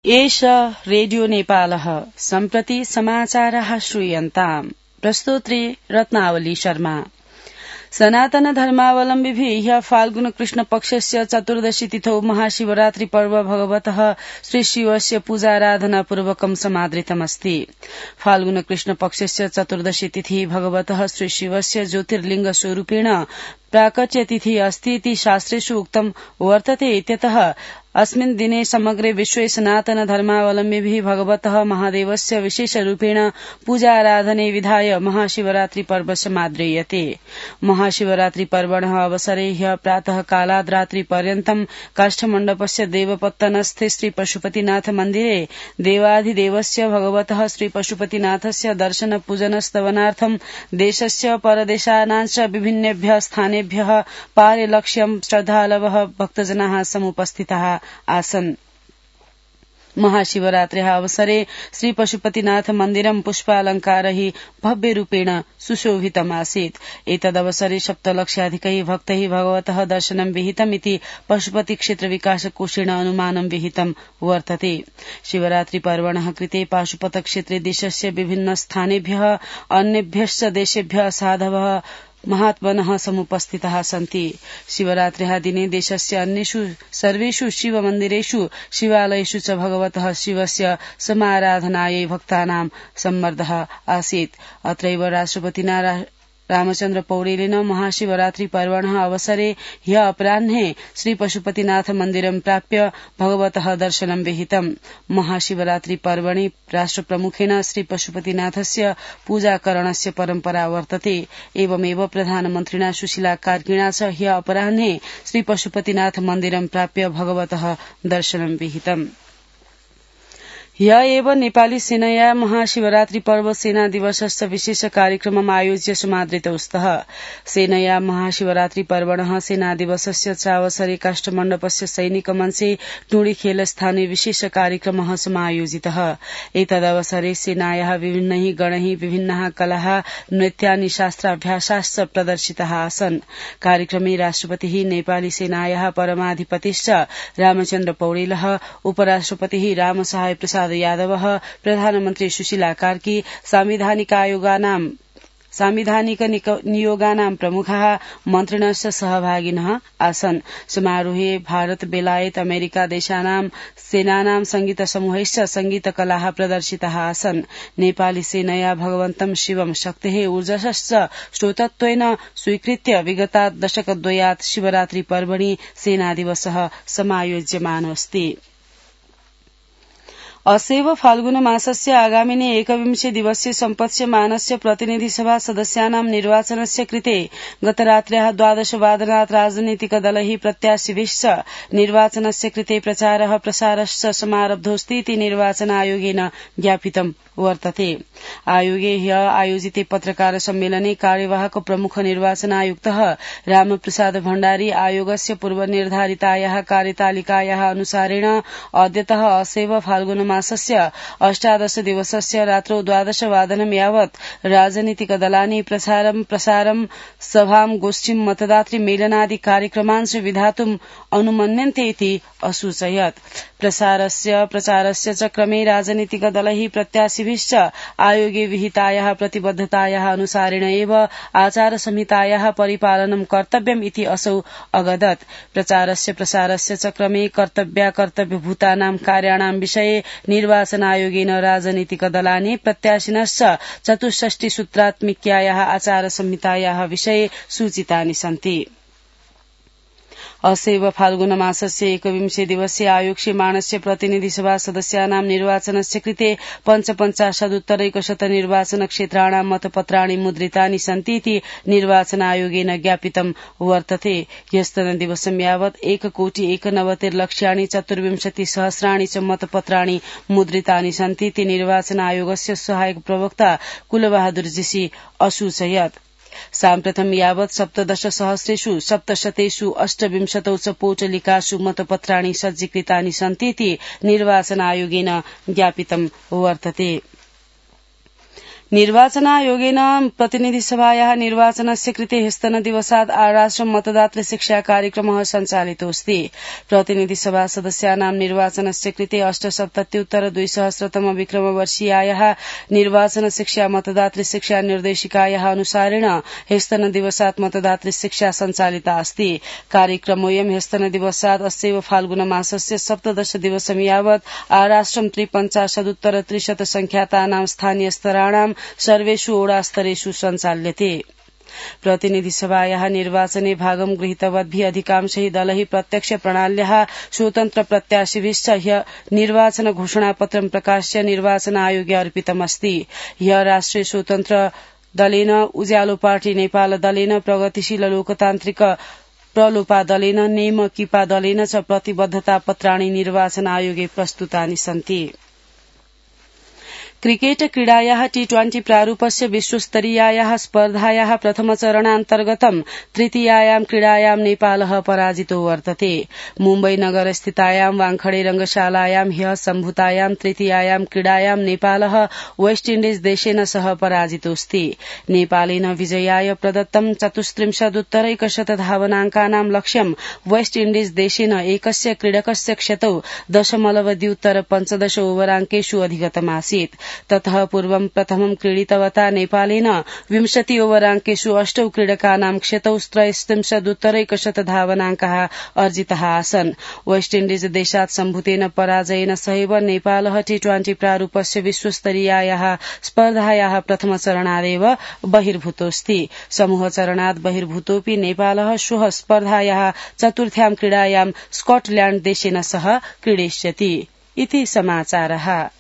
एष रेडियो नेपालः सम्प्रति समाचारः श्रूयन्ताम्। प्रस्तोत्री रत्नावली शर्मा। सनातन धर्मावलम्बिभिः ह्यः फाल्गुन कृष्ण पक्षस्य चतुर्दशी तिथौ महाशिवरात्रि पर्व भगवतः श्रीशिवस्य पूजाराधना पूर्वकं समादृतमस्ति। फाल्गुन कृष्ण पक्षस्य चतुर्दशी तिथि भगवतः श्रीशिवस्य ज्योतिर्लिंग स्वरूपेण प्राकट्य तिथि अस्ति इति शास्त्रेषु उक्तं वर्तते। इत्यतः अस्मिन् दिने समग्रे विश्वे सनातन धर्मावलम्बिभिः भगवतः महादेवस्य विशेषरूपेण पूजाराधने विधाय महाशिवरात्रि पर्व समाद्रियते। महाशिवरात्रि पर्वणः अवसरे ह्यः प्रातः कालाद् रात्रि पर्यन्तं काष्ठमण्डपस्य देवपत्तनस्थे श्री पशुपतिनाथ मन्दिरे देवाधिदेवस्य भगवतः श्री पशुपतिनाथस्य दर्शन पूजन स्तवनार्थं देशस्य परदेशानां च विभिन्नेभ्यः स्थानेभ्यः पारिलक्ष्यं श्रद्धालवः भक्तजनाः समुपस्थिताः आसन्। महाशिवरात्र्याः अवसरे श्री पशुपतिनाथ मन्दिरं पुष्पालंकारैः भव्यरूपेण सुशोभितमासीत्। एतदवसरे 7,00,000 भक्तैः भगवतः दर्शनं विहितमिति पशुपति क्षेत्र विकास कोषेण अनुमानं विहितं वर्तते। शिवरात्रि पर्वणः कृते पाशुपत क्षेत्रे देशस्य विभिन्न स्थानेभ्यः अन्येभ्यश्च देशेभ्यः साधवः महात्मनः समुपस्थिताः सन्ति। शिवरात्र्याः दिने देशस्य अन्येषु सर्वेषु शिवमन्दिरेषु शिवालयेषु च भगवतः शिवस्य समाराधनायै भक्तानां सम्मर्दः आसीत्। अत्रैव राष्ट्रपतिना रामचन्द्र पौडेलेन महाशिवरात्रि पर्वणः अवसरे ह्यः अपराह्ने श्री पशुपतिनाथ मन्दिरं प्राप्य भगवतः दर्शनं विहितम्। महाशिवरात्रि पर्वणि राष्ट्रप्रमुखेन श्री पशुपतिनाथस्य पूजाकरणस्य परम्परा वर्तते। एवमेव प्रधानमन्त्रिणा सुशीला कार्किणा च ह्यः अपराह्ने श्री पशुपतिनाथ मन्दिरं प्राप्य भगवतः दर्शनं विहितम्। ह्यः एव नेपाली सेनया महाशिवरात्रि पर्व सेना दिवसस्य विशेष कार्यक्रमम् आयोज्य समादृतौ स्तः। सेनया महाशिवरात्रि पर्वणः सेना दिवसस्य चावसरे काष्ठमण्डपस्य सैनिक मञ्चे टुंडीखेल स्थाने विशेष कार्यक्रमः समायोजितः। एतदवसरे सेनायाः विभिन्नैः गणैः विभिन्नाः कलाः नृत्यानि शास्त्राभ्यासाश्च प्रदर्शिताः आसन्। कार्यक्रमे राष्ट्रपतिः नेपाली सेनायाः परमाधिपतिश्च रामचन्द्र पौडेलः, उपराष्ट्रपतिः रामसहाय प्रसाद यादवः, प्रधानमन्त्री सुशीला कार्की, सांविधानिक नियोगानां प्रमुखाः मन्त्रिणश्च सहभागिनः आसन्। समारोहे भारत, बेलायत, अमेरिका देशानां सेनानां संगीत समूहैश्च संगीतकलाः प्रदर्शिताः आसन्। नेपाली सेनया भगवन्तं शिवं शक्तेः ऊर्जश्च स्रोतत्वेन स्वीकृत्य विगतात् दशकद्वयात् शिवरात्रि पर्वणि सेनादिवसः समायोज्यमानोऽस्ति। अस्यैव फाल्गुन मासस्य आगामिने 21 दिवसीय सम्पत्स्यमानस्य प्रतिनिधिसभा सदस्यानां निर्वाचनस्य कृते गतरात्र्याः 12 वादनात् राजनीतिकदलैः प्रत्याशिभिश्च निर्वाचनस्य कृते प्रचारः प्रसारश्च समारब्धोऽस्ति इति निर्वाचन आयोगेन ज्ञापितं वर्तते। आयोगे ह्यः आयोजिते पत्रकार सम्मेलने कार्यवाहक प्रमुख निर्वाचन आयुक्तः रामप्रसाद भण्डारी आयोगस्य पूर्वनिर्धारितायाः कार्यतालिकायाः अनुसारेण अद्यतः अस्यैव फाल्गुन मासस्य 18 दिवसस्य रात्रौ 12 वादनं यावत् राजनीतिकदलानि प्रसारं सभां गोष्ठीं मतदातृ मेलनादि कार्यक्रमांश विधातुम् अनुमन्यन्ते इति असूचयत्। प्रचारस्य च क्रमे राजनीतिकदलैः प्रत्याशिभिश्च आयोगे विहितायाः प्रतिबद्धतायाः अनुसारेण एव आचार संहितायाः परिपालनं कर्तव्यम् इति असौ अगदत्। प्रसारस्य च क्रमे कर्तव्यभूतानां कार्याणां विषये निर्वाचन आयोगेन राजनीतिकदलानि प्रत्याशिनश्च 64 सूत्रात्मिक्यायाः आचार संहितायाः विषये सूचितानि सन्ति। अस्यैव फाल्गुन मासस्य 21 दिवसीय आयोक्ष्यमाणस्य प्रतिनिधिसभा सदस्यानां निर्वाचनस्य कृते 55,उत्तरैकशत निर्वाचन क्षेत्राणां मतपत्राणि मुद्रितानि सन्ति इति निर्वाचन आयोगेन ज्ञापितं वर्तते। ह्यस्तनदिवसं यावत् 1,91,24,000 च मतपत्राणि मुद्रितानि सन्ति इति निर्वाचन आयोगस्य सहायक प्रवक्ता कुलबहादुर जीसी असूचयत्। साम्प्रतं यावत् 17,728 च पोटलिकासु मतपत्राणि सज्जीकृतानि सन्ति इति निर्वाचन आयोगेन ज्ञापितं वर्तते। निर्वाचनायोगेन प्रतिनिधिसभायाः निर्वाचनस्य कृते ह्यस्तनदिवसात् आराष्ट्रं मतदातृ शिक्षा कार्यक्रमः सञ्चालितोऽस्ति। प्रतिनिधिसभा सदस्यानां निर्वाचनस्य कृते 8,77,200 विक्रमवर्षीयायाः निर्वाचन शिक्षा मतदातृ शिक्षा निर्देशिकायाः अनुसारेण ह्यस्तनदिवसात् मतदातृ शिक्षा सञ्चालिता अस्ति। कार्यक्रमोऽयं ह्यस्तनदिवसात् अस्यैव फाल्गुनमासस्य 17 दिवसं यावत् आराष्ट्रं 53,300 संख्यातानां स्थानीयस्तराणां सर्वेषु ओडास्तरेषु सञ्चाल्यते। प्रतिनिधिसभायाः निर्वाचने भागं गृहीतवद्भिः अधिकांशैः दलैः प्रत्यक्ष प्रणाल्याः स्वतन्त्र प्रत्याशिभिश्च ह्य निर्वाचन घोषणापत्रं प्रकाश्य निर्वाचन आयोगे अर्पितमस्ति। ह्य राष्ट्रिय स्वतन्त्र दलेन, उज्यालो पार्टी नेपाल दलेन, प्रगतिशील लोकतान्त्रिक प्रलोपा दलेन, नेमकिपा दलेन च प्रतिबद्धता पत्राणि निर्वाचन आयोगे प्रस्तुतानि सन्ति। क्रिकेट क्रीडायाः T20 प्रारूपस्य विश्वस्तरीयायाः स्पर्धायाः प्रथमचरणान्तर्गतं तृतीयायां क्रीडायां नेपालः पराजितो वर्तते। मुम्बई नगरस्थितायां वाङखडे रंगशालायां ह्यः सम्भूतायां तृतीयायां क्रीडायां नेपालः वेस्ट इण्डिज देशेन सह पराजितोऽस्ति। नेपालेन विजयाय प्रदत्तं 34,100 धावनाङ्कानां लक्ष्यं वेस्ट इण्डिज देशेन एकस्य क्रीडकस्य क्षतौ 0.25 ओभराङ्केषु अधिगतमासीत्। ततः पूर्वं प्रथमं क्रीडितवता नेपालेन 20 ओभराङ्केषु 8 क्रीडकानां क्षतौ 63,100 धावनाङ्काः अर्जिताः आसन्। वेस्ट इण्डिज देशात् सम्भूतेन पराजयेन सहैव नेपालः T20 प्रारूपस्य विश्वस्तरीयायाः स्पर्धायाः प्रथमचरणादेव बहिर्भूतोऽस्ति। समूहचरणात् बहिर्भूतोऽपि नेपालः श्वः स्पर्धायाः चतुर्थ्यां क्रीडायां स्कॉटलैण्ड देशेन सह क्रीडिष्यति। इति समाचारः।